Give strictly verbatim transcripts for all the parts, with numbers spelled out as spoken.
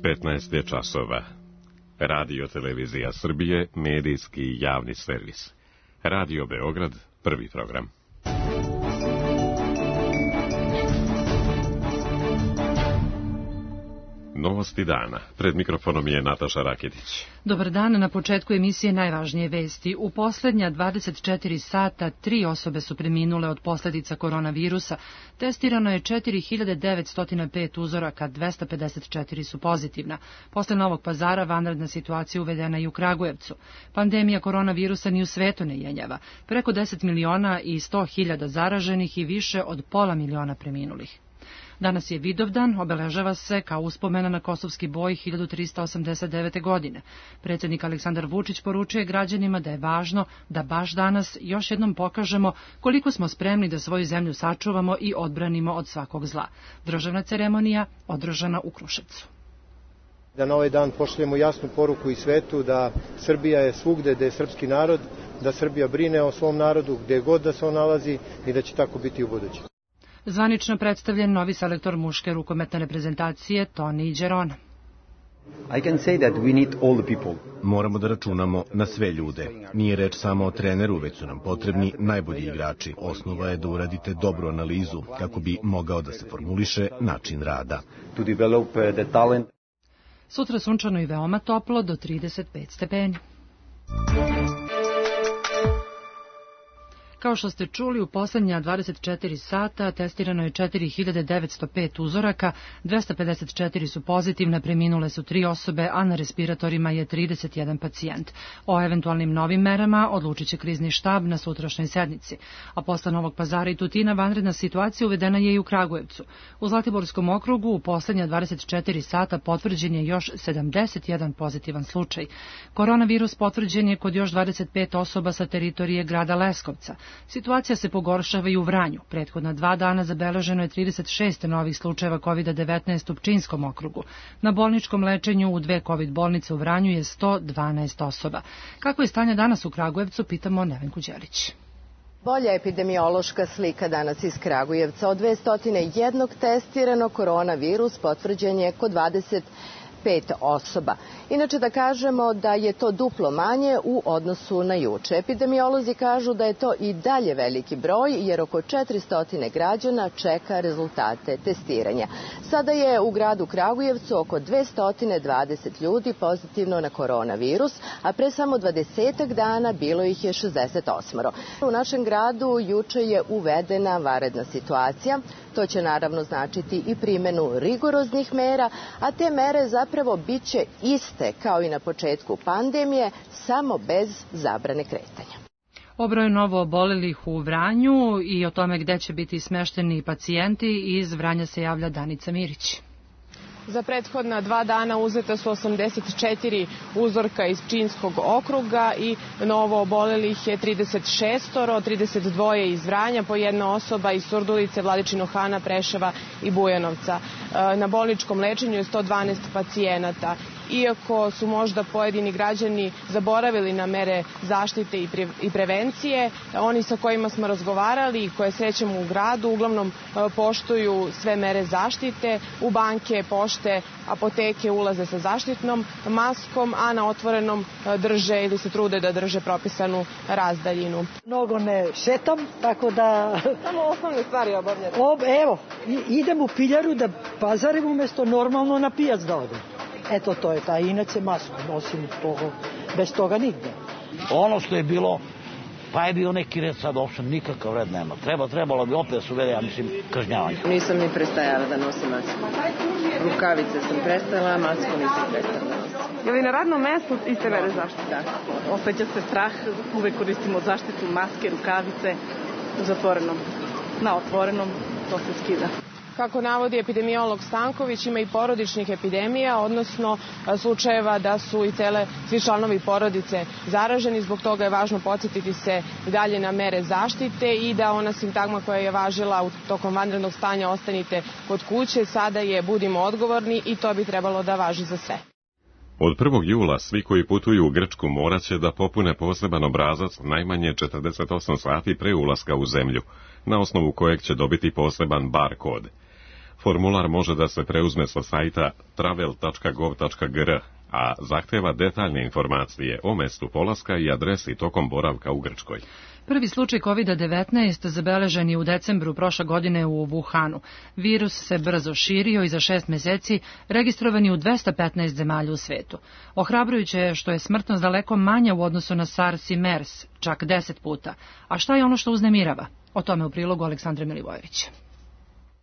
petnaest je časova. Radio Televizija Srbije, medijski javni servis. Radio Beograd, prvi program. Novosti dana. Pred mikrofonom je Nataša Raketić. Dobar dan, na početku emisije najvažnije vesti. U poslednja dvadeset četiri sata tri osobe su preminule od posledica koronavirusa. Testirano je četiri hiljade devetsto pet uzoraka, dvesta pedeset četiri su pozitivna. Posle Novog Pazara vanredna situacija uvedena i u Kragujevcu. Pandemija koronavirusa ni u svetu ne jenjava. Preko deset miliona i sto hiljada zaraženih i više od pola miliona preminulih. Danas je Vidovdan, obeležava se kao uspomena na kosovski boj hiljadu trista osamdeset devete. godine. Predsjednik Aleksandar Vučić poručuje građanima da je važno da baš danas još jednom pokažemo koliko smo spremni da svoju zemlju sačuvamo i odbranimo od svakog zla. Državna ceremonija održana u Kruševcu. Da na ovaj dan pošaljemo jasnu poruku i svetu da Srbija je svugde gde je srpski narod, da Srbija brine o svom narodu gde god da se on nalazi i da će tako biti u buduće. Zvanično predstavljen novi selektor muške rukometne reprezentacije Toni Đerona. I can say that we need all the people. Moramo da računamo na sve ljude. Nije reč samo o treneru, već su nam potrebni najbolji igrači. Osnova je da uradite dobru analizu kako bi mogao da se formuliše način rada. To develop the talent. Sutra sunčano i veoma toplo do trideset pet stepeni. Kao što ste čuli, u poslednja dvadeset četiri sata testirano je četiri hiljade devetsto pet uzoraka, dvesta pedeset četiri su pozitivne, preminule su tri osobe, a na respiratorima je trideset jedan pacijent. O eventualnim novim merama odlučit će krizni štab na sutrašnjoj sednici. A posle Novog Pazara i Tutina vanredna situacija uvedena je i u Kragujevcu. U Zlatiborskom okrugu u poslednja dvadeset četiri sata potvrđen je još sedamdeset jedan pozitivan slučaj. Koronavirus potvrđen je kod još dvadeset pet osoba sa teritorije grada Leskovca. Situacija se pogoršava i u Vranju. Prethodna dva dana zabeleženo je trideset šest novih slučajeva kovid devetnaest u Pčinjskom okrugu. Na bolničkom lečenju u dve kovid bolnice u Vranju je sto dvanaest osoba. Kako je stanje danas u Kragujevcu, pitamo Nevenku Đelić. Bolja epidemiološka slika danas iz Kragujevca. Od dvesta jedna testirano koronavirus potvrđen je kod dvadeset pet osoba. Inače da kažemo da je to duplo manje u odnosu na juče. Epidemiolozi kažu da je to i dalje veliki broj jer oko četiristo građana čeka rezultate testiranja. Sada je u gradu Kragujevcu oko dvesta dvadeset ljudi pozitivno na koronavirus, a pre samo dvadesetak dana bilo ih je šezdeset osam. U našem gradu juče je uvedena vanredna situacija. To će naravno značiti i primjenu rigoroznih mera, a te mere zapravo bit će iste kao i na početku pandemije, samo bez zabrane kretanja. O broju novo obolelih u Vranju i o tome gde će biti smešteni pacijenti iz Vranja se javlja Danica Mirić. Za prethodna dva dana uzeta su osamdeset četiri uzorka iz Pčinjskog okruga i novo obolelih je trideset šest, trideset dva iz Vranja, po jedna osoba iz Surdulice, Vladičinog Hana, Preševa i Bujanovca. Na bolničkom lečenju je sto dvanaest pacijenata. Iako su možda pojedini građani zaboravili na mere zaštite i prevencije, oni sa kojima smo razgovarali i koje srećemo u gradu uglavnom poštuju sve mere zaštite. U banke, pošte, apoteke ulaze sa zaštitnom maskom, a na otvorenom drže ili se trude da drže propisanu razdaljinu. Mnogo ne šetam, tako da... Samo osnovne stvari obavljate. Evo, idem u piljaru da pazarim umjesto normalno na pijac da odem. Eto, to je ta, inače masku nosim toga, bez toga nigde. Ono što je bilo, pa je bio neki red, sad uopšte nikakav red nema. Treba, trebalo bi opet su vede, ja mislim, kažnjavanje. Nisam ni prestajala da nosim masku. Rukavice sam prestala, a masku nisam prestala da nosim. Je li na radnom mestu iste mere zaštite? Da. Osjeća se strah, uvek koristimo zaštitu, maske, rukavice u zatvorenom. Na otvorenom to se skida. Kako navodi epidemiolog Stanković, ima i porodičnih epidemija, odnosno slučajeva da su i cele svi članovi porodice zaraženi. Zbog toga je važno podsjetiti se dalje na mere zaštite i da ona sintagma koja je važila u tokom vanrednog stanja ostanite kod kuće, sada je budimo odgovorni i to bi trebalo da važi za sve. Od prvog jula svi koji putuju u Grčku moraće da popune poseban obrazac najmanje četrdeset osam sati pre ulaska u zemlju, na osnovu kojeg će dobiti poseban bar kod. Formular može da se preuzme sa sajta travel tačka gov tačka gr, a zahteva detaljne informacije o mestu polaska i adresi tokom boravka u Grčkoj. Prvi slučaj kovid devetnaest zabeležen je u decembru prošle godine u Wuhanu. Virus se brzo širio i za šest meseci registrovan je u dvesta petnaest zemalja u svetu. Ohrabrujuće je što je smrtnost daleko manja u odnosu na SARS i MERS, čak deset puta. A šta je ono što uznemirava? O tome u prilogu Aleksandra Milivojevića.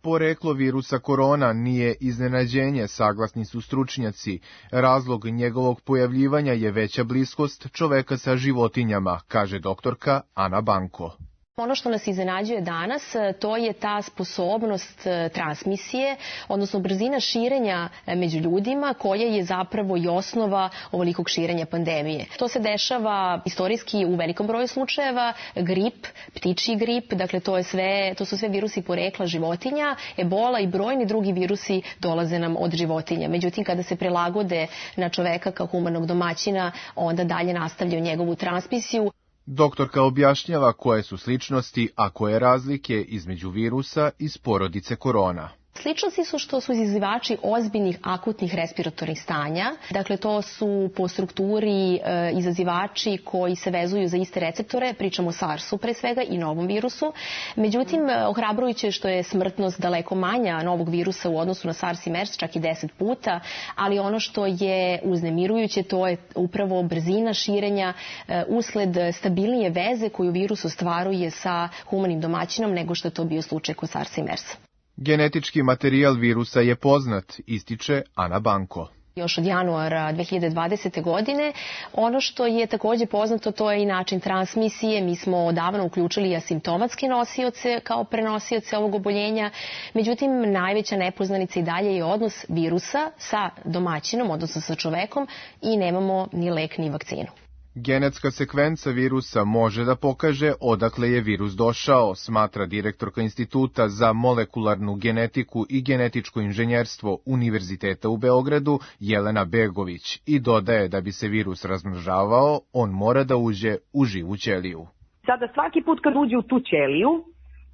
Poreklo virusa korona nije iznenađenje, saglasni su stručnjaci. Razlog njegovog pojavljivanja je veća bliskost čoveka sa životinjama, kaže doktorka Ana Banko. Ono što nas iznenađuje danas, to je ta sposobnost transmisije, odnosno brzina širenja među ljudima, koja je zapravo i osnova ovolikog širenja pandemije. To se dešava istorijski u velikom broju slučajeva, grip, ptičji grip, dakle to, je sve, to su sve virusi porekla životinja, ebola i brojni drugi virusi dolaze nam od životinja. Međutim, kada se prilagode na čoveka kao humanog domaćina, onda dalje nastavljaju njegovu transmisiju. Doktorka objašnjava koje su sličnosti, a koje razlike između virusa iz porodice korona. Sličnosti su što su izazivači ozbiljnih akutnih respiratornih stanja. Dakle, to su po strukturi e, izazivači koji se vezuju za iste receptore, pričamo o SARS-u pre svega i novom virusu. Međutim, ohrabrujuće je što je smrtnost daleko manja novog virusa u odnosu na SARS i MERS, čak i deset puta, ali ono što je uznemirujuće, to je upravo brzina širenja e, usled stabilnije veze koju virus ostvaruje sa humanim domaćinom nego što je to bio slučaj kod SARS i MERS. Genetički materijal virusa je poznat, ističe Ana Banko. Još od januara dve hiljade dvadesete. godine. Ono što je takođe poznato, to je i način transmisije. Mi smo odavno uključili asimptomatske nosioce kao prenosioce ovog oboljenja. Međutim, najveća nepoznanica i dalje je odnos virusa sa domaćinom, odnosno sa čovekom, i nemamo ni lek ni vakcinu. Genetska sekvenca virusa može da pokaže odakle je virus došao, smatra direktorka Instituta za molekularnu genetiku i genetičko inženjerstvo Univerziteta u Beogradu Jelena Begović i dodaje da bi se virus razmnožavao, on mora da uđe u živu ćeliju. Sada svaki put kad uđe u tu ćeliju,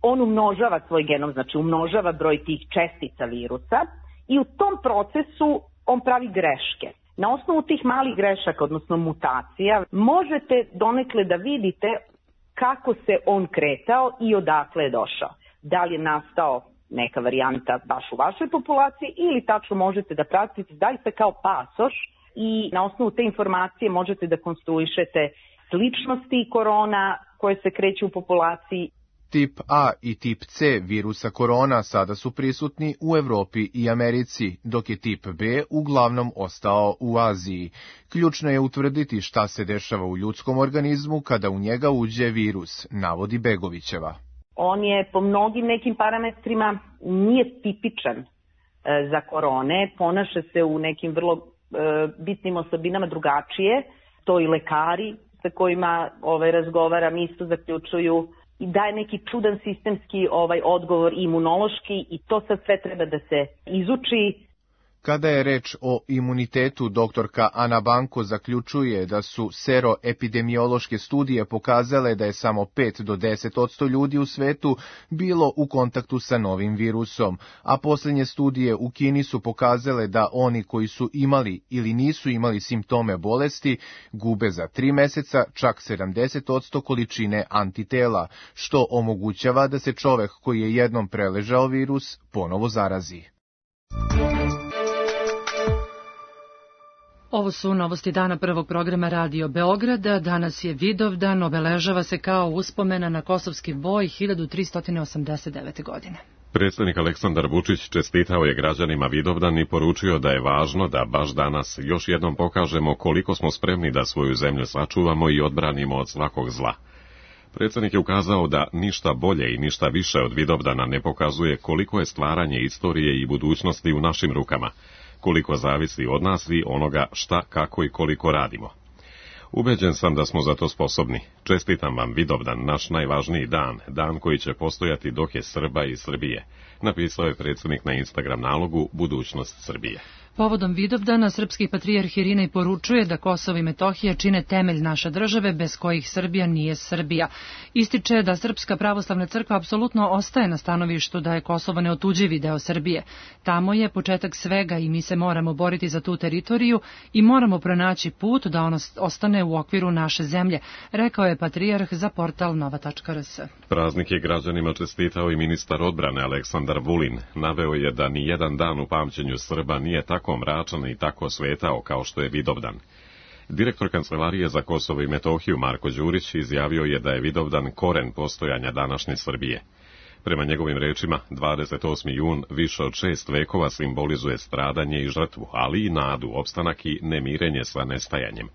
on umnožava svoj genom, znači umnožava broj tih čestica virusa i u tom procesu on pravi greške. Na osnovu tih malih grešaka, odnosno mutacija, možete donekle da vidite kako se on kretao i odakle je došao. Da li je nastao neka varijanta baš u vašoj populaciji ili tačno možete da pratite zaista kao pasoš i na osnovu te informacije možete da konstruišete sličnosti korona koje se kreću u populaciji. Tip A i tip C virusa korona sada su prisutni u Evropi i Americi, dok je tip B uglavnom ostao u Aziji. Ključno je utvrditi šta se dešava u ljudskom organizmu kada u njega uđe virus, navodi Begovićeva. On je po mnogim nekim parametrima nije tipičan za korone, ponaša se u nekim vrlo bitnim osobinama drugačije, to i lekari sa kojima ovaj, razgovaram isto zaključuju i daje neki čudan sistemski ovaj odgovor imunološki i to sad sve treba da se izuči. Kada je reč o imunitetu, doktorka Ana Banko zaključuje da su seroepidemiološke studije pokazale da je samo pet do deset posto ljudi u svetu bilo u kontaktu sa novim virusom, a posljednje studije u Kini su pokazale da oni koji su imali ili nisu imali simptome bolesti gube za tri meseca čak sedamdeset posto količine antitela, što omogućava da se čovek koji je jednom preležao virus ponovo zarazi. Ovo su novosti dana prvog programa Radio Beograda. Danas je Vidovdan, obeležava se kao uspomena na kosovski boj hiljadu tristo osamdeset devete. godine. Predsjednik Aleksandar Vučić čestitao je građanima Vidovdan i poručio da je važno da baš danas još jednom pokažemo koliko smo spremni da svoju zemlju sačuvamo i odbranimo od svakog zla. Predsjednik je ukazao da ništa bolje i ništa više od Vidovdana ne pokazuje koliko je stvaranje istorije i budućnosti u našim rukama, koliko zavisi od nas i onoga šta, kako i koliko radimo. Ubeđen sam da smo za to sposobni. Čestitam vam Vidovdan, naš najvažniji dan, dan koji će postojati dok je Srba i Srbije, napisao je predsjednik na Instagram nalogu Budućnost Srbije. Povodom Vidovdana, srpski patrijarh Irinej poručuje da Kosovo i Metohija čine temelj naše države bez kojih Srbija nije Srbija. Ističe da Srpska pravoslavna crkva apsolutno ostaje na stanovištu da je Kosovo neotuđivi deo Srbije. Tamo je početak svega i mi se moramo boriti za tu teritoriju i moramo pronaći put da ono ostane u okviru naše zemlje, rekao je patrijarh za portal nova tačka r s. Praznik je građanima čestitao i ministar odbrane Aleksandar Vulin. Naveo je da ni jedan dan u pamćenju Srba nije tako mračan i tako svetao kao što je Vidovdan. Direktor Kancelarije za Kosovo i Metohiju Marko Đurić izjavio je da je Vidovdan koren postojanja današnje Srbije. Prema njegovim rečima, dvadeset osmi jun više od šest vekova simbolizuje stradanje i žrtvu, ali i nadu, opstanak i nemirenje sa nestajanjem.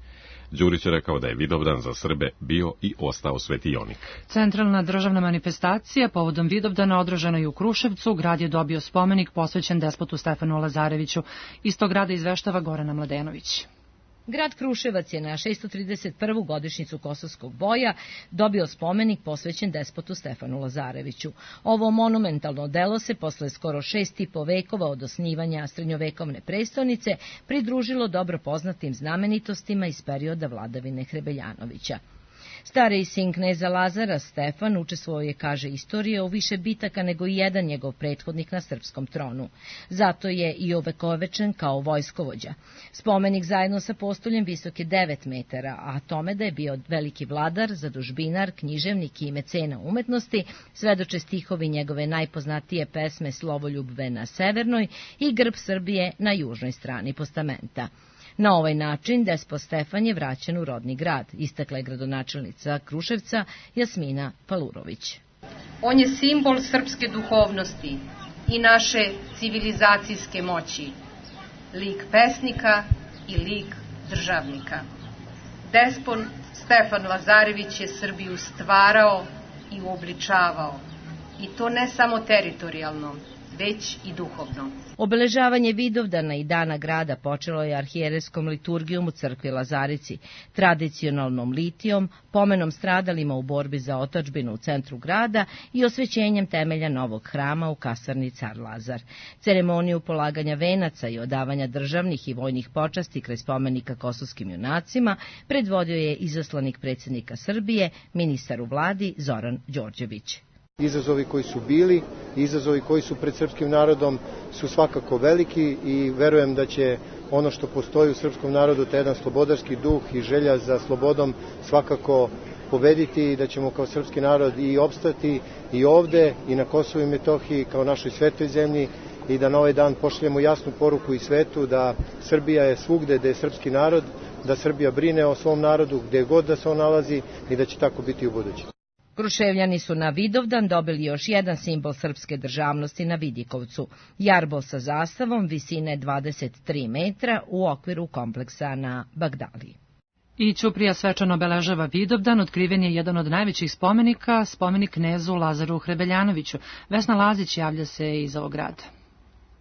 Đurić je rekao da je Vidovdan za Srbe bio i ostao svetionik. Centralna državna manifestacija povodom Vidovdana održana je u Kruševcu. Grad je dobio spomenik posvećen despotu Stefanu Lazareviću. Iz tog grada izveštava Gorana Mladenović. Grad Kruševac je na šesto trideset prvu godišnjicu Kosovskog boja dobio spomenik posvećen despotu Stefanu Lazareviću. Ovo monumentalno delo se posle skoro šest i po vekova od osnivanja srednjovekovne prestonice pridružilo dobro poznatim znamenitostima iz perioda vladavine Hrebeljanovića. Stariji sin kneza Lazara, Stefan, učestvovao je, kaže istorija, u više bitaka nego i jedan njegov prethodnik na srpskom tronu. Zato je i ovekovečen kao vojskovođa. Spomenik zajedno sa postoljem visok je devet metara, a tome da je bio veliki vladar, zadužbinar, književnik i mecena umetnosti, svedoče stihovi njegove najpoznatije pesme Slovoljubve na severnoj i Grb Srbije na južnoj strani postamenta. Na ovaj način despot Stefan je vraćen u rodni grad, istakla je gradonačelnica Kruševca Jasmina Palurović. On je simbol srpske duhovnosti i naše civilizacijske moći, lik pesnika i lik državnika. Despot Stefan Lazarević je Srbiju stvarao i uobličavao, i to ne samo teritorijalno, već i duhovno. Obeležavanje Vidovdana i Dana grada počelo je arhijerejskom liturgijom u crkvi Lazarici, tradicionalnom litijom, pomenom stradalima u borbi za otadžbinu u centru grada i osvećenjem temelja novog hrama u kasarni Car Lazar. Ceremoniju polaganja venaca i odavanja državnih i vojnih počasti kraj spomenika kosovskim junacima predvodio je izaslanik predsjednika Srbije, ministar u vladi Zoran Đorđević. Izazovi koji su bili, izazovi koji su pred srpskim narodom su svakako veliki i verujem da će ono što postoji u srpskom narodu, taj jedan slobodarski duh i želja za slobodom svakako pobediti i da ćemo kao srpski narod i opstati i ovde i na Kosovu i Metohiji kao našoj svetoj zemlji i da na ovaj dan pošaljemo jasnu poruku i svetu da Srbija je svugde gde je srpski narod, da Srbija brine o svom narodu gde god da se on nalazi i da će tako biti u buduće. Kruševljani su na Vidovdan dobili još jedan simbol srpske državnosti na Vidikovcu, jarbol sa zastavom visine dvadeset tri metra u okviru kompleksa na Bagdaliji. I Ćuprija svečano obeležava Vidovdan, otkriven je jedan od najvećih spomenika, spomenik knezu Lazaru Hrebeljanoviću. Vesna Lazić javlja se iz ovog grada.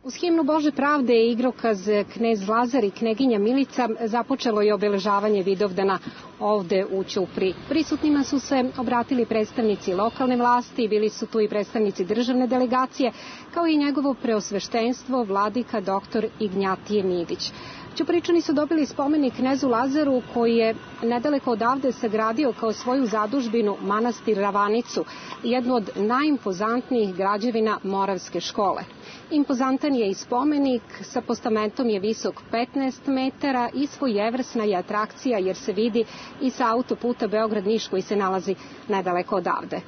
Uz himnu Bože pravde i igrokaz knez Lazar i kneginja Milica započelo je obeležavanje Vidovdana ovde u Ćupriji. Prisutnima su se obratili predstavnici lokalne vlasti, bili su tu i predstavnici državne delegacije, kao i njegovo preosveštenstvo vladika doktor Ignjatije Midić. Ćupričani su dobili spomenik knezu Lazaru koji je nedaleko odavde sagradio kao svoju zadužbinu manastir Ravanicu, jednu od najimpozantnijih građevina Moravske škole. Impozantan je i spomenik, sa postamentom je visok petnaest metara i svojevrsna je atrakcija jer se vidi i sa autoputa Beograd-Niš koji se nalazi nedaleko odavde.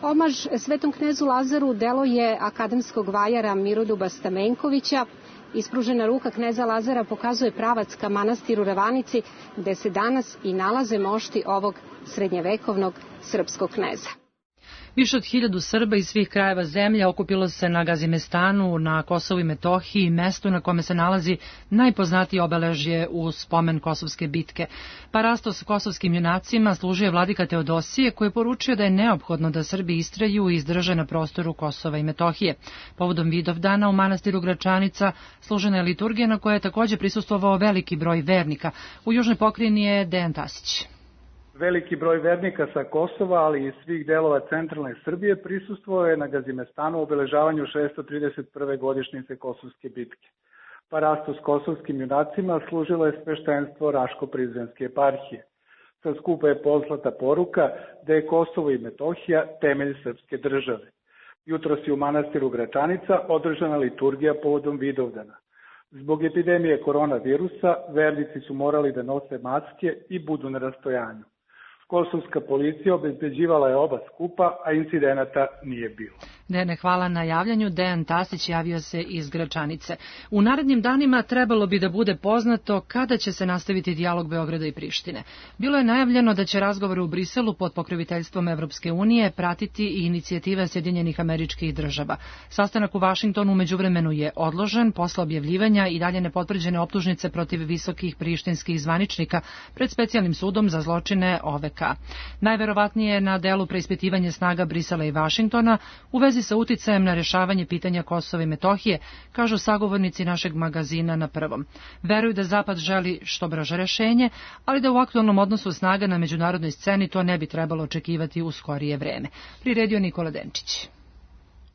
Omaž svetom knezu Lazaru delo je akademskog vajara Miroduba Stamenkovića. Ispružena ruka kneza Lazara pokazuje pravac ka manastiru Ravanici, gde se danas i nalaze mošti ovog srednjevekovnog srpskog kneza. Više od hiljadu Srba iz svih krajeva zemlje okupilo se na Gazimestanu, na Kosovu i Metohiji, mestu na kome se nalazi najpoznatije obeležje u spomen Kosovske bitke. Parastos kosovskim junacima služio je vladika Teodosije, koji je poručio da je neophodno da Srbi istraju i izdrže na prostoru Kosova i Metohije. Povodom Vidovdana u manastiru Gračanica služena je liturgija na kojoj je također prisustvovao veliki broj vernika. U južnoj pokrajini je Dejan Tasić. Veliki broj vernika sa Kosova, ali i svih delova centralne Srbije prisustvovao je na Gazimestanu u obeležavanju šesto trideset prve godišnjice Kosovske bitke. Parastu s kosovskim junacima služilo je sveštenstvo Raško-Prizrenske eparhije. Sa skupa je poslata poruka da je Kosovo i Metohija temelj srpske države. Jutros je u manastiru Gračanica održana liturgija povodom Vidovdana. Zbog epidemije koronavirusa, vernici su morali da nose maske i budu na rastojanju. Kosovska policija obezbeđivala je oba skupa, a incidenata nije bilo. Dejane, hvala na javljanju. Dejan Tasić javio se iz Gračanice. U narednim danima trebalo bi da bude poznato kada će se nastaviti dijalog Beograda i Prištine. Bilo je najavljeno da će razgovore u Briselu pod pokroviteljstvom Evropske unije pratiti i inicijativa Sjedinjenih Američkih Država. Sastanak u Vašingtonu umeđuvremenu je odložen posle objavljivanja i dalje nepotvrđene optužnice protiv visokih prištinskih zvaničnika pred specijalnim sudom za zločine O V K. Najverovatnije je na delu preispitivanje snaga Brisela i Vašingtona u vezi sa uticajem na rešavanje pitanja Kosova i Metohije, kažu sagovornici našeg magazina Na prvom. Veruju da Zapad želi što brže rešenje, ali da u aktualnom odnosu snaga na međunarodnoj sceni to ne bi trebalo očekivati u skorije vreme. Priredio Nikola Denčić.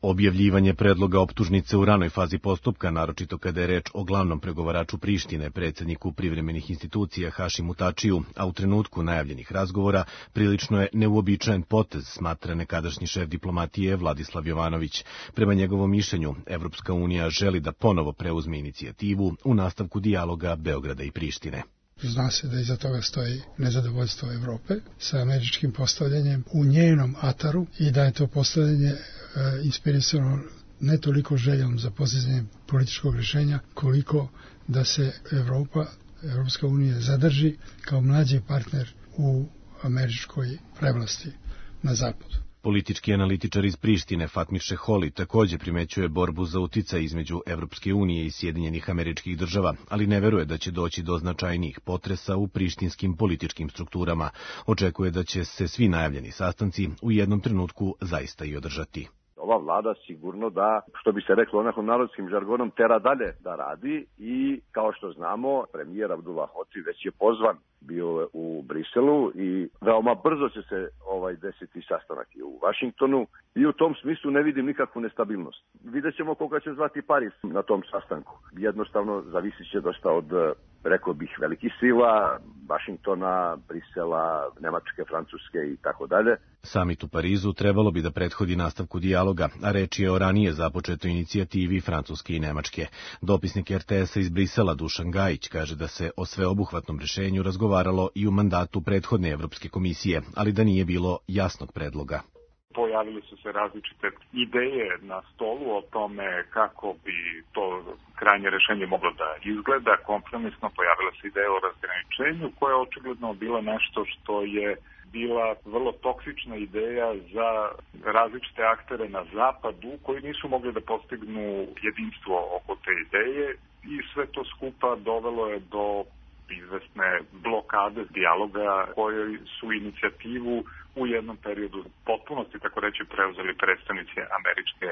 Objavljivanje predloga optužnice u ranoj fazi postupka, naročito kada je reč o glavnom pregovaraču Prištine, predsjedniku privremenih institucija Hašimu Tačiju, a u trenutku najavljenih razgovora, prilično je neuobičajen potez, smatra nekadašnji šef diplomatije Vladislav Jovanović. Prema njegovom mišljenju, Evropska unija želi da ponovo preuzme inicijativu u nastavku dijaloga Beograda i Prištine. Zna se da iza toga stoji nezadovoljstvo Evrope sa američkim postavljanjem u njenom ataru i da je to postavljanje e, inspirisano ne toliko željom za postizanjem političkog rješenja, koliko da se Evropa, Evropska unija zadrži kao mlađi partner u američkoj prevlasti na zapadu. Politički analitičar iz Prištine Fatmir Šeholi također primećuje borbu za uticaj između Evropske unije i Sjedinjenih Američkih Država, ali ne veruje da će doći do značajnijih potresa u prištinskim političkim strukturama. Očekuje da će se svi najavljeni sastanci u jednom trenutku zaista i održati. Ova vlada sigurno da, što bi se reklo onako narodskim žargonom, tera dalje da radi i kao što znamo, premijer Abdullah Hoci već je pozvan bio u Briselu i veoma brzo će se ovaj desiti sastanak i u Vašingtonu i u tom smislu ne vidim nikakvu nestabilnost. Vidjet ćemo koga će zvati Pariz na tom sastanku. Jednostavno zavisit će dosta od, rekao bih, velikih sila, Vašingtona, Brisela, Nemačke, Francuske i tako dalje. Samit u Parizu trebalo bi da prethodi nastavku dijaloga, a reč je o ranije započetoj inicijativi Francuske i Nemačke. Dopisnik R T S-a iz Brisela Dušan Gajić kaže da se o sveobuhvatnom rešenju razgovaralo i u mandatu prethodne Evropske komisije, ali da nije bilo jasnog predloga. Pojavili su se različite ideje na stolu o tome kako bi to krajnje rešenje moglo da izgleda. Kompromisno pojavila se ideja o razgraničenju koja je očigledno bila nešto što je bila vrlo toksična ideja za različite aktere na zapadu koji nisu mogli da postignu jedinstvo oko te ideje i sve to skupa dovelo je do izvesne blokade dijaloga kojoj su inicijativu u jednom periodu potpunosti, tako reći, preuzeli predstavnici američke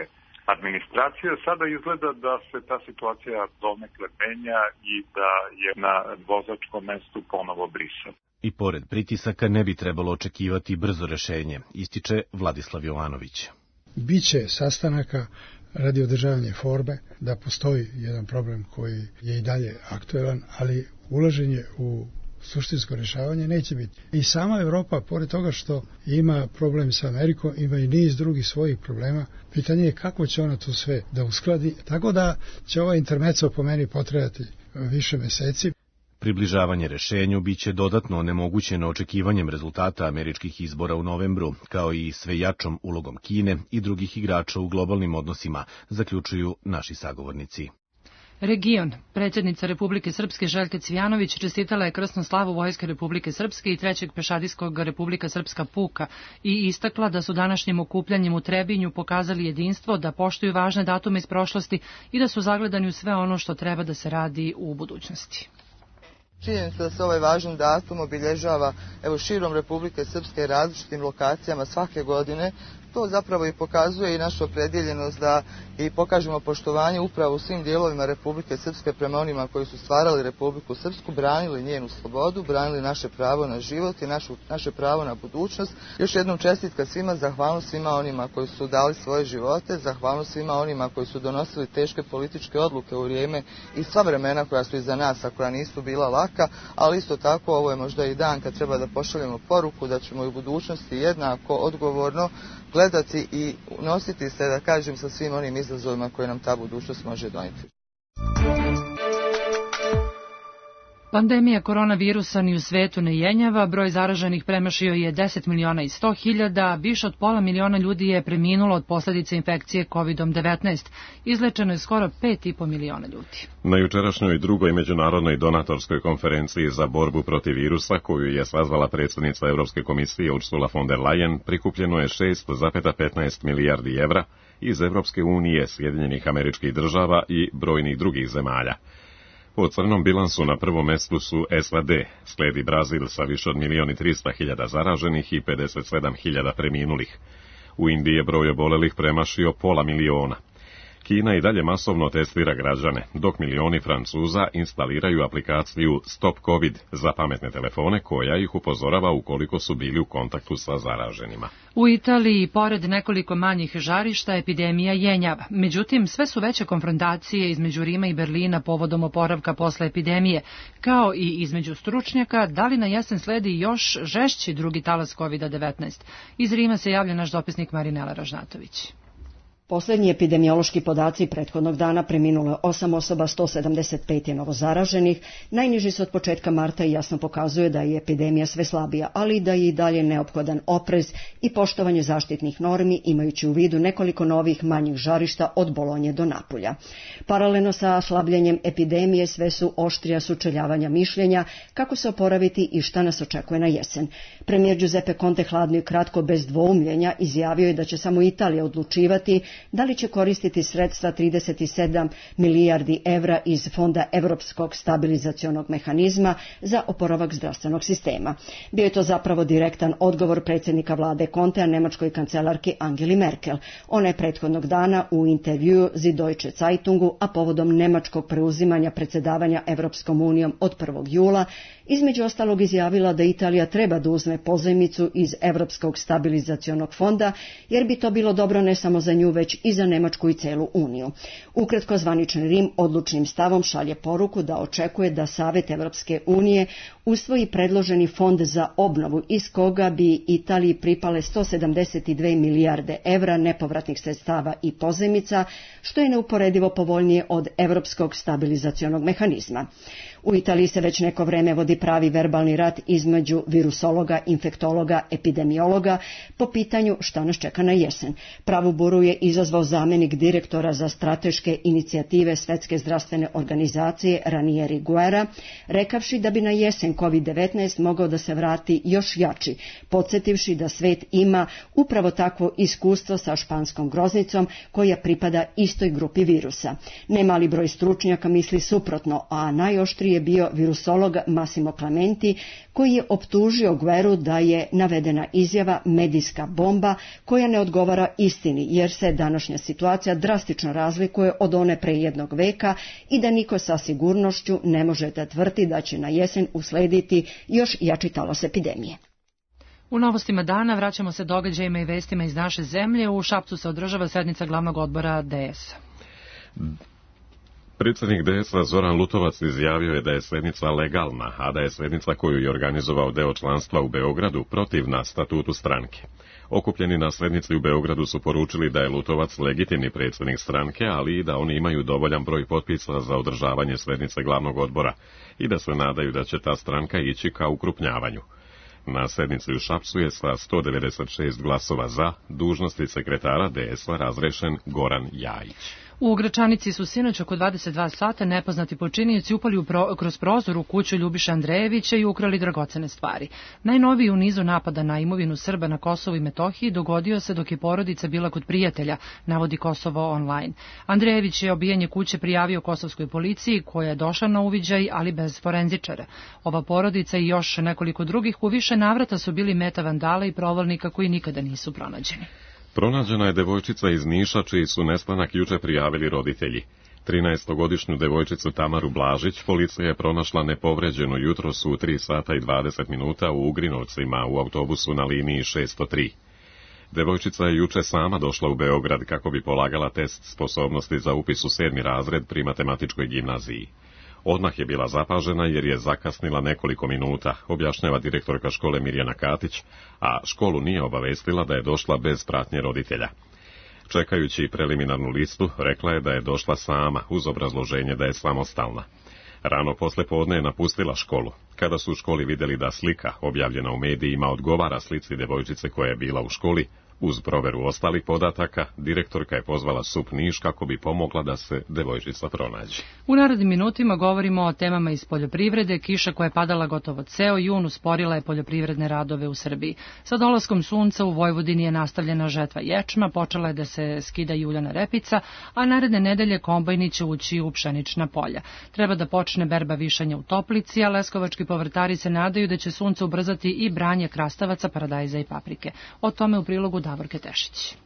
administracije. Sada izgleda da se ta situacija donekle menja i da je na vozačkom mestu ponovo Brisel. I pored pritisaka ne bi trebalo očekivati brzo rešenje, ističe Vladislav Jovanović. Biće sastanaka radi održavanja forme, da postoji jedan problem koji je i dalje aktuelan, ali ulaženje u suštinsko rješavanje neće biti. I sama Evropa, pored toga što ima problem sa Amerikom, ima i niz drugih svojih problema. Pitanje je kako će ona to sve da uskladi, tako da će ovaj intermezzo po meni potrajati više meseci. Približavanje rešenju biće dodatno onemogućeno očekivanjem rezultata američkih izbora u novembru, kao i sve jačom ulogom Kine i drugih igrača u globalnim odnosima, zaključuju naši sagovornici. Region. Predsjednica Republike Srpske Željka Cvijanović čestitala je krsnu slavu Vojske Republike Srpske i trećeg pešadijskog Republika Srpska puka i istakla da su današnjim okupljanjem u Trebinju pokazali jedinstvo, da poštuju važne datume iz prošlosti i da su zagledani u sve ono što treba da se radi u budućnosti. Činjenica da se ovaj važan datum obilježava evo širom Republike Srpske različitim lokacijama svake godine to zapravo i pokazuje i našu opredjeljenost da i pokažemo poštovanje upravo u svim dijelovima Republike Srpske prema onima koji su stvarali Republiku Srpsku, branili njenu slobodu, branili naše pravo na život i našu, naše pravo na budućnost. Još jednom čestitka svima, zahvalnost svima onima koji su dali svoje živote, zahvalnost svima onima koji su donosili teške političke odluke u vrijeme i sva vremena koja su iza nas, a koja nisu bila laka, ali isto tako ovo je možda i dan kad treba da pošaljemo poruku da ćemo i u budućnosti jednako odgovorno gledati i nositi se, da kažem, sa svim onim izazovima koje nam ta budućnost može donijeti. Pandemija koronavirusa ni u svetu ne jenjava, broj zaraženih premašio je deset miliona i sto hiljada, više od pola miliona ljudi je preminulo od posljedica infekcije kovid devetnaest, izlečeno je skoro pet i po miliona ljudi. Na jučerašnjoj drugoj međunarodnoj donatorskoj konferenciji za borbu protiv virusa, koju je sazvala predsjednica Europske komisije Ursula von der Leyen, prikupljeno je šest zarez petnaest milijardi evra iz Europske unije, Sjedinjenih Američkih Država i brojnih drugih zemalja. Po crnom bilansu na prvom mjestu su S A D, slijedi Brazil sa više od milijon i trista hiljada zaraženih i pedeset sedam hiljada preminulih. U Indiji je broj obolelih premašio pola miliona. Kina i dalje masovno testira građane, dok milioni Francuza instaliraju aplikaciju Stop Covid za pametne telefone koja ih upozorava ukoliko su bili u kontaktu sa zaraženima. U Italiji, pored nekoliko manjih žarišta, epidemija jenjava. Međutim, sve su veće konfrontacije između Rima i Berlina povodom oporavka posle epidemije, kao i između stručnjaka da li na jesen sledi još žešći drugi talas kovid devetnaest. Iz Rima se javlja naš dopisnik Marinela Ražnatović. Poslednji epidemiološki podaci prethodnog dana preminulo je osam osoba, sto sedamdeset pet je novozaraženih. Najniži su od početka marta i jasno pokazuje da je epidemija sve slabija, ali da je i dalje neophodan oprez i poštovanje zaštitnih normi, imajući u vidu nekoliko novih manjih žarišta od Bolonje do Napulja. Paralelno sa slabljenjem epidemije sve su oštrija sučeljavanja mišljenja kako se oporaviti i šta nas očekuje na jesen. Premijer Giuseppe Conte hladno i kratko bez dvoumljenja izjavio je da će samo Italija odlučivati da li će koristiti sredstva trideset sedam milijardi evra iz Fonda Evropskog stabilizacionog mehanizma za oporavak zdravstvenog sistema. Bio je to zapravo direktan odgovor predsjednika vlade Contea nemačkoj kancelarki Angeli Merkel. Ona je prethodnog dana u intervjuu Zi Deutsche Zeitungu, a povodom nemačkog preuzimanja predsjedavanja Evropskom unijom od prvog jula, između ostalog izjavila da Italija treba da uzme pozajmicu iz Evropskog stabilizacionog fonda, jer bi to bilo dobro ne samo za nju, već i za Nemačku i celu Uniju. Ukratko, zvanični Rim odlučnim stavom šalje poruku da očekuje da Savet Evropske unije usvoji predloženi fond za obnovu, iz koga bi Italiji pripale sto sedamdeset dve milijarde evra nepovratnih sredstava i pozajmica, što je neuporedivo povoljnije od Evropskog stabilizacionog mehanizma. U Italiji se već neko vreme vodi pravi verbalni rat između virusologa, infektologa, epidemiologa po pitanju šta nas čeka na jesen. Pravu buru je izazvao zamenik direktora za strateške inicijative Svetske zdravstvene organizacije Ranieri Guerra, rekavši da bi na jesen kovid devetnaest mogao da se vrati još jači, podsjetivši da svet ima upravo takvo iskustvo sa španskom groznicom koja pripada istoj grupi virusa. Nemali broj stručnjaka misli suprotno, a najoštrije je bio virusolog Massimo Clementi, koji je optužio Guerru da je navedena izjava medijska bomba koja ne odgovara istini, jer se današnja situacija drastično razlikuje od one pre jednog veka i da niko sa sigurnošću ne može da tvrdi da će na jesen uslediti još jači talas epidemije. U novostima dana vraćamo se događajima i vestima iz naše zemlje. U Šapcu se održava sednica glavnog odbora D S-a. Predsjednik D S-a Zoran Lutovac izjavio je da je sjednica legalna, a da je sjednica koju je organizovao deo članstva u Beogradu protivna statutu stranke. Okupljeni na sjednici u Beogradu su poručili da je Lutovac legitimni predsjednik stranke, ali i da oni imaju dovoljan broj potpisa za održavanje sjednice glavnog odbora i da se nadaju da će ta stranka ići ka ukrupnjavanju. Na sednici u Šapcu je sa sto devedeset šest glasova za dužnosti sekretara D S-a razrešen Goran Jajić. U Gračanici su sinoć oko dvadeset dva sata nepoznati počinioci upali pro, kroz prozor u kuću Ljubiše Andrejevića i ukrali dragocene stvari. Najnoviji u nizu napada na imovinu Srba na Kosovu i Metohiji dogodio se dok je porodica bila kod prijatelja, navodi Kosovo online. Andrejević je obijanje kuće prijavio kosovskoj policiji, koja je došla na uviđaj, ali bez forenzičara. Ova porodica i još nekoliko drugih u više navrata su bili meta vandala i provalnika koji nikada nisu pronađeni. Pronađena je devojčica iz Niša čiji su nestanak juče prijavili roditelji. trinaestogodišnju devojčicu Tamaru Blažić policija je pronašla nepovređenu jutros u tri sata i dvadeset minuta u Ugrinovcima u autobusu na liniji šesto tri. Devojčica je juče sama došla u Beograd kako bi polagala test sposobnosti za upis u sedmi razred pri matematičkoj gimnaziji. Odmah je bila zapažena jer je zakasnila nekoliko minuta, objašnjava direktorka škole Mirjana Katić, a školu nije obavestila da je došla bez pratnje roditelja. Čekajući preliminarnu listu, rekla je da je došla sama, uz obrazloženje da je samostalna. Rano posle podne je napustila školu. Kada su u školi vidjeli da slika, objavljena u medijima, odgovara slici devojčice koja je bila u školi, uz proveru ostalih podataka, direktorka je pozvala S U P Niš kako bi pomogla da se devojčica pronađe. U narednim minutima govorimo o temama iz poljoprivrede. Kiša koja je padala gotovo ceo jun usporila je poljoprivredne radove u Srbiji. Sa dolaskom sunca u Vojvodini je nastavljena žetva ječma, počela je da se skida juljana repica, a naredne nedelje kombajni će ući u pšenična polja. Treba da počne berba višanja u Toplici, a leskovački povrtari se nadaju da će sunce ubrzati i branje krastavaca, paradajza i paprike. O tome u prilogu Davorke Tešić.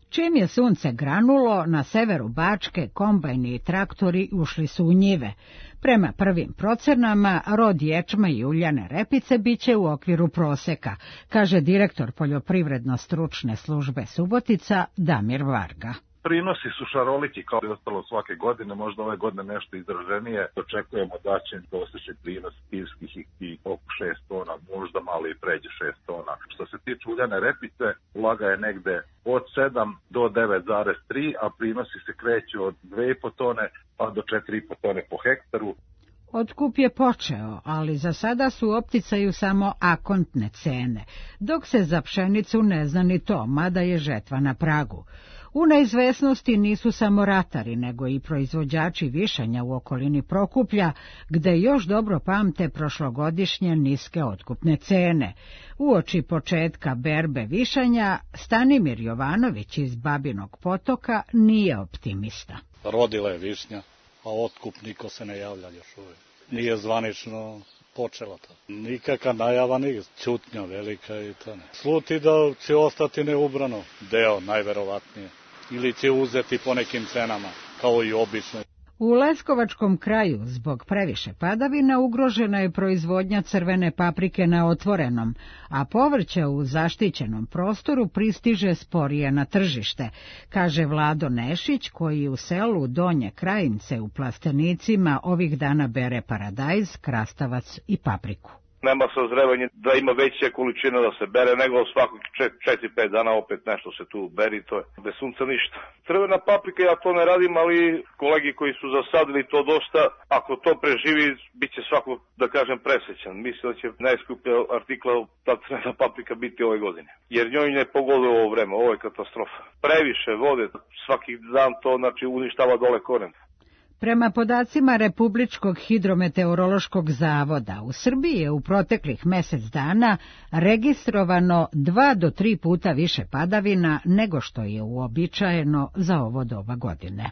Čim je sunce granulo, na severu Bačke kombajni i traktori ušli su u njive. Prema prvim procenama, rod ječma i uljane repice biće u okviru proseka, kaže direktor poljoprivredno-stručne službe Subotica Damir Varga. Prinosi su šaroliki kao i ostalo svake godine, možda ove godine nešto izraženije. Očekujemo da će prosječni prinos pivskih i oko šest tona, možda malo i pređe šest tona. Što se tiče uljane repice, vlaga je negde od sedam do devet zarez tri, a prinosi se kreću od dve i po tone pa do četiri i po tone po hektaru. Otkup je počeo, ali za sada su u opticaju samo akontne cene, dok se za pšenicu ne zna ni to, mada je žetva na pragu. U neizvesnosti nisu samo ratari, nego i proizvođači višanja u okolini Prokuplja, gde još dobro pamte prošlogodišnje niske otkupne cene. Uoči početka berbe višanja, Stanimir Jovanović iz Babinog Potoka nije optimista. Rodila je višnja, a otkup niko se ne javlja još uvijek. Nije zvanično počela to. Nikakva najava, ni ćutnja velika i to ne. Sluti da će ostati neubrano, deo najverovatnije. Ili će uzeti po nekim cenama, kao i obično. U Leskovačkom kraju zbog previše padavina ugrožena je proizvodnja crvene paprike na otvorenom, a povrće u zaštićenom prostoru pristiže sporije na tržište, kaže Vlado Nešić, koji u selu Donje Krajince u Plastenicima ovih dana bere paradajz, krastavac i papriku. Nema sazrevanje da ima veća količina da se bere, nego svakog četiri pet dana opet nešto se tu beri, to je bez sunca ništa. Crvena paprika, ja to ne radim, ali kolegi koji su zasadili to dosta, ako to preživi, bit će svako, da kažem, presrećan. Mislim da će najskuplja artikla ta crvena paprika biti ove godine. Jer njoj ne pogoduje ovo vreme, ovo je katastrofa. Previše vode, svaki dan to znači uništava dole koren. Prema podacima Republičkog hidrometeorološkog zavoda, u Srbiji je u proteklih mesec dana registrovano dva do tri puta više padavina nego što je uobičajeno za ovo doba godine.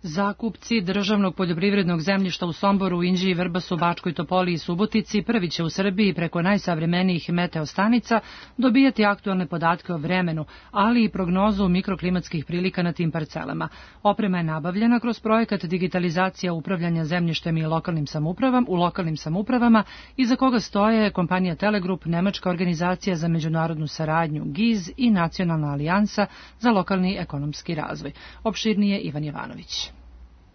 Zakupci državnog poljoprivrednog zemljišta u Somboru, Inđiji, Vrbasu, Bačkoj Topoli i Subotici prvi će u Srbiji preko najsavremenijih meteostanica dobijati aktualne podatke o vremenu, ali i prognozu mikroklimatskih prilika na tim parcelama. Oprema je nabavljena kroz projekat digitalizacija upravljanja zemljištem i lokalnim samoupravama u lokalnim samoupravama, iza koga stoje kompanija Telegrup, nemačka organizacija za međunarodnu saradnju G I Z i Nacionalna alijansa za lokalni ekonomski razvoj. Opširnije Ivan Jovanović.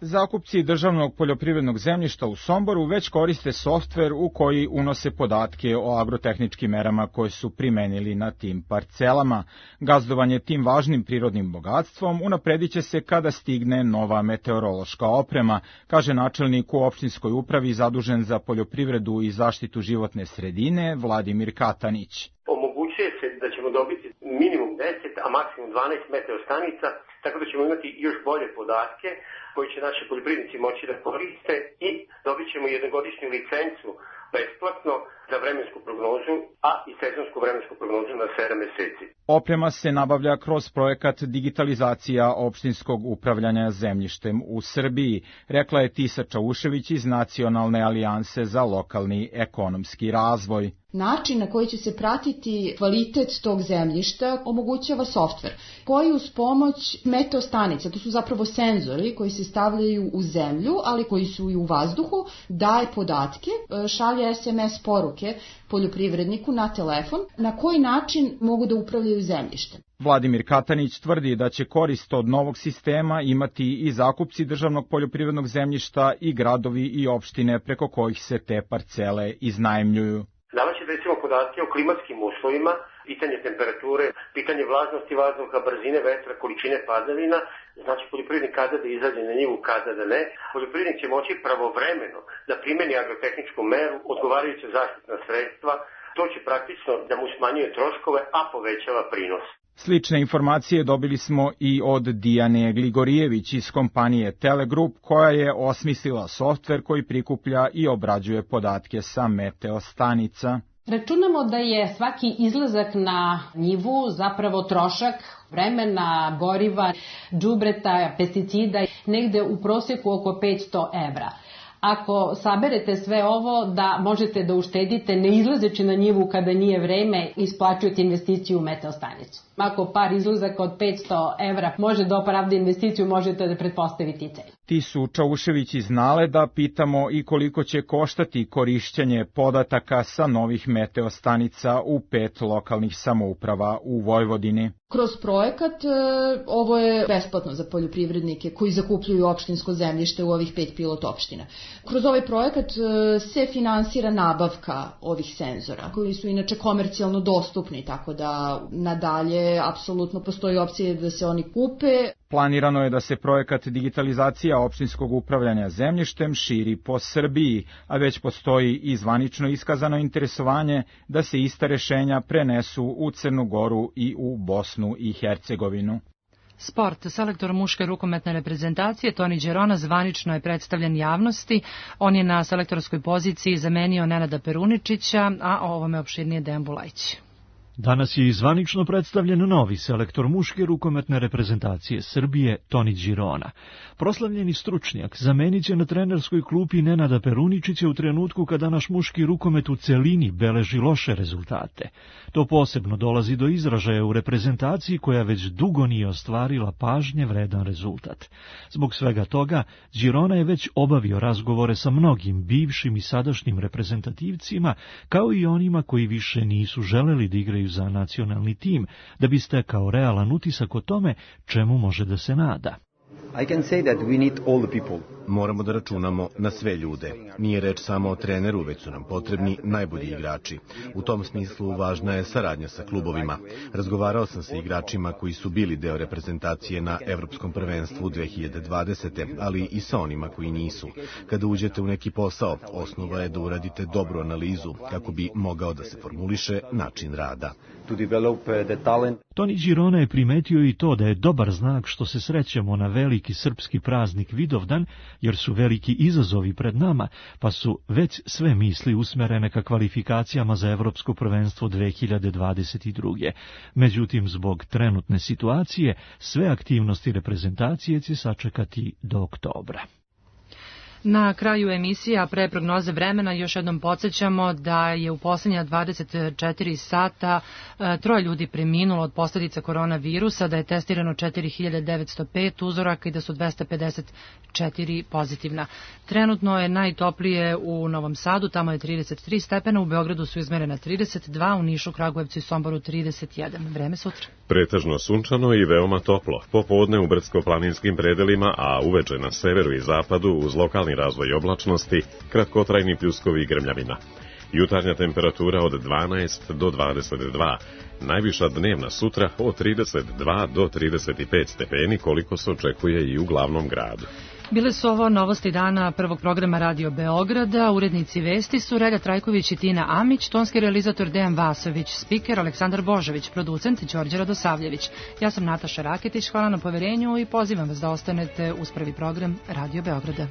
Zakupci državnog poljoprivrednog zemljišta u Somboru već koriste softver u koji unose podatke o agrotehničkim merama koje su primenili na tim parcelama. Gazdovanje tim važnim prirodnim bogatstvom unapredit će se kada stigne nova meteorološka oprema, kaže načelnik u opštinskoj upravi zadužen za poljoprivredu i zaštitu životne sredine Vladimir Katanić. Omogućuje se da ćemo dobiti minimum deset, a maksimum dvanaest meteostanica, tako da ćemo imati još bolje podatke koji će naši poljoprivrednici moći da koriste i dobit ćemo jednogodišnju licencu besplatno na vremensku prognozu, a i sezonsku vremensku prognozu na sedam meseci. Oprema se nabavlja kroz projekat digitalizacija opštinskog upravljanja zemljištem u Srbiji, rekla je Tisa Čaušević iz Nacionalne alijanse za lokalni ekonomski razvoj. Način na koji će se pratiti kvalitet tog zemljišta omogućava softver koji uz pomoć meteostanica, to su zapravo senzori koji se stavljaju u zemlju, ali koji su i u vazduhu, daje podatke, šalje es em es poruke poljoprivredniku na telefon na koji način mogu da upravljaju zemljištem. Vladimir Katanić tvrdi da će korist od novog sistema imati i zakupci državnog poljoprivrednog zemljišta i gradovi i opštine preko kojih se te parcele iznajmljuju. Davaće recimo podatke o klimatskim uslovima, pitanje temperature, pitanje vlažnosti vazduha, brzine vetra, količine padavina, znači poljoprivrednik kada da izađe na njivu, kada da ne. Poljoprivrednik će moći pravovremeno da primeni agrotehničku meru, odgovarajuće zaštitna sredstva, to će praktično da mu smanjuje troškove, a povećava prinos. Slične informacije dobili smo i od Dijane Gligorijević iz kompanije Telegrup, koja je osmislila softver koji prikuplja i obrađuje podatke sa meteostanica. Računamo da je svaki izlazak na njivu zapravo trošak vremena, goriva, đubreta, pesticida, negde u prosjeku oko petsto evra. Ako saberete sve ovo, da možete da uštedite ne izlazeći na njivu kada nije vreme, isplaćujete investiciju u meteostanicu. Ako par izlazaka od petsto evra može da opravda investiciju, možete da pretpostaviti i cenu. Tisu Čaušević iz Naleda pitamo i koliko će koštati korišćenje podataka sa novih meteostanica u pet lokalnih samouprava u Vojvodini. Kroz projekat ovo je besplatno za poljoprivrednike koji zakupljuju opštinsko zemljište u ovih pet pilot opština. Kroz ovaj projekat se finansira nabavka ovih senzora koji su inače komercijalno dostupni, tako da nadalje apsolutno postoji opcija da se oni kupe. Planirano je da se projekat digitalizacija opštinskog upravljanja zemljištem širi po Srbiji, a već postoji i zvanično iskazano interesovanje da se ista rešenja prenesu u Crnu Goru i u Bosnu i Hercegovinu. Sport. Selektor muške rukometne reprezentacije Toni Đerona zvanično je predstavljen javnosti. On je na selektorskoj poziciji zamenio Nenada Peruničića, a o ovome opširnije Dejan Bulajić. Danas je zvanično predstavljen novi selektor muške rukometne reprezentacije Srbije, Toni Đerona. Proslavljeni stručnjak zamenit će na trenerskoj klupi Nenada Peruničića u trenutku kada naš muški rukomet u celini beleži loše rezultate. To posebno dolazi do izražaja u reprezentaciji koja već dugo nije ostvarila pažnje vredan rezultat. Zbog svega toga, Đerona je već obavio razgovore sa mnogim bivšim i sadašnjim reprezentativcima, kao i onima koji više nisu želeli da igraju za nacionalni tim, da bi stekao realan utisak o tome čemu može da se nada. I can say that we need all the people. Moramo da računamo na sve ljude. Nije reč samo o treneru, već su nam potrebni najbolji igrači. U tom smislu važna je saradnja sa klubovima. Razgovarao sam sa igračima koji su bili deo reprezentacije na Evropskom prvenstvu dve hiljade dvadesete. ali i sa onima koji nisu. Kada uđete u neki posao, osnova je da uradite dobru analizu kako bi mogao da se formuliše način rada. To develop the talent. Toni Đerona je primetio i to da je dobar znak što se srećemo na veliki srpski praznik Vidovdan, jer su veliki izazovi pred nama, pa su već sve misli usmerene ka kvalifikacijama za Evropsko prvenstvo dve hiljade dvadeset druge. Međutim, zbog trenutne situacije, sve aktivnosti reprezentacije će sačekati do oktobra. Na kraju emisije, a pre prognoze vremena, još jednom podsjećamo da je u poslednja dvadeset četiri sata troje ljudi preminulo od posljedica koronavirusa, da je testirano četiri hiljade devetsto pet uzoraka i da su dvesta pedeset četiri pozitivna. Trenutno je najtoplije u Novom Sadu, tamo je trideset tri stepena, u Beogradu su izmerena trideset dva, u Nišu, Kragujevcu i Somboru trideset jedan. Vreme sutra. Pretežno sunčano i veoma toplo. Popodne u brdsko-planinskim predelima, a uveče na severu i zapadu uz lokalni razvoj oblačnosti, kratkotrajni pljuskovi i grmljavina. Jutarnja temperatura od dvanaest do dvadeset dva, najviša dnevna sutra od trideset dva do trideset pet stepeni, koliko se očekuje i u glavnom gradu. Bile su ovo novosti dana prvog programa Radio Beograda. Urednici vesti su Relja Trajković i Tina Amić, tonski realizator Dejan Vasović, spiker Aleksandar Božović, producent Đorđe Radosavljević. Ja sam Nataša Raketić, hvala na poverenju i pozivam vas da ostanete uz prvi program Radio Beograda.